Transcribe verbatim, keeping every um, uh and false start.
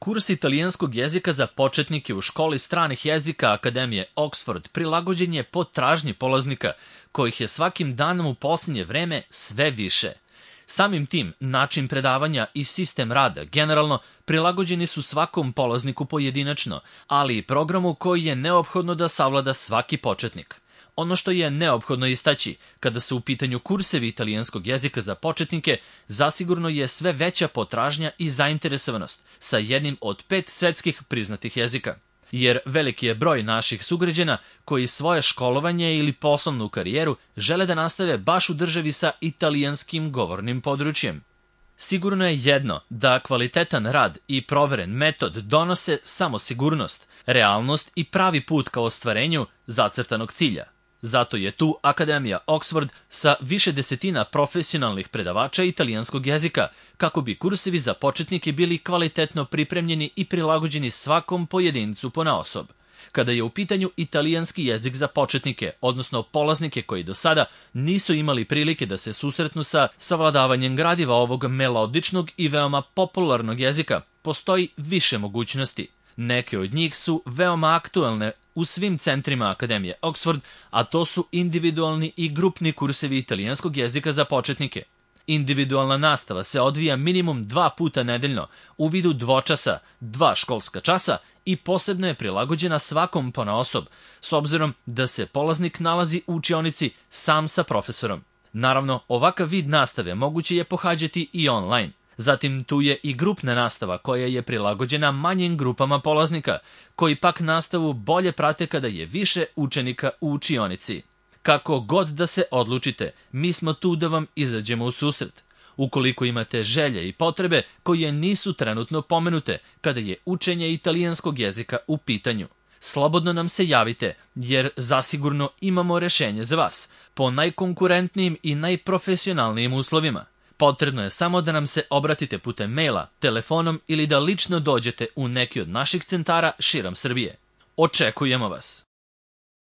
Kurs italijanskog jezika za početnike u školi stranih jezika Akademije Oxford prilagođen je potražnji polaznika, kojih je svakim danom u posljednje vreme sve više. Samim tim, način predavanja i sistem rada generalno prilagođeni su svakom polazniku pojedinačno, ali i programu koji je neophodno da savlada svaki početnik. Ono što je neophodno istaći kada su u pitanju kursevi italijanskog jezika za početnike, zasigurno je sve veća potražnja i zainteresovanost sa jednim od pet svetskih priznatih jezika. Jer veliki je broj naših sugrađana koji svoje školovanje ili poslovnu karijeru žele da nastave baš u državi sa italijanskim govornim područjem. Sigurno je jedno da kvalitetan rad i proveren metod donose samo sigurnost, realnost i pravi put ka ostvarenju zacrtanog cilja. Zato je tu Akademija Oxford sa više desetina profesionalnih predavača italijanskog jezika, kako bi kursevi za početnike bili kvalitetno pripremljeni i prilagođeni svakom pojedincu ponaosob. Kada je u pitanju italijanski jezik za početnike, odnosno polaznike koji do sada nisu imali prilike da se susretnu sa savladavanjem gradiva ovog melodičnog i veoma popularnog jezika, postoji više mogućnosti. Neke od njih su veoma aktuelne u svim centrima Akademije Oxford, a to su individualni i grupni kursevi italijanskog jezika za početnike. Individualna nastava se odvija minimum dva puta nedeljno u vidu dvočasa, dva školska časa i posebno je prilagođena svakom ponaosob, s obzirom da se polaznik nalazi u učionici sam sa profesorom. Naravno, ovakav vid nastave moguće je pohađati i online. Zatim tu je i grupna nastava koja je prilagođena manjim grupama polaznika, koji pak nastavu bolje prate kada je više učenika u učionici. Kako god da se odlučite, mi smo tu da vam izađemo u susret. Ukoliko imate želje i potrebe koje nisu trenutno pomenute kada je učenje italijanskog jezika u pitanju, slobodno nam se javite, jer zasigurno imamo rešenje za vas, po najkonkurentnijim i najprofesionalnijim uslovima. Potrebno je samo da nam se obratite putem maila, telefonom ili da lično dođete u neki od naših centara širom Srbije. Očekujemo vas!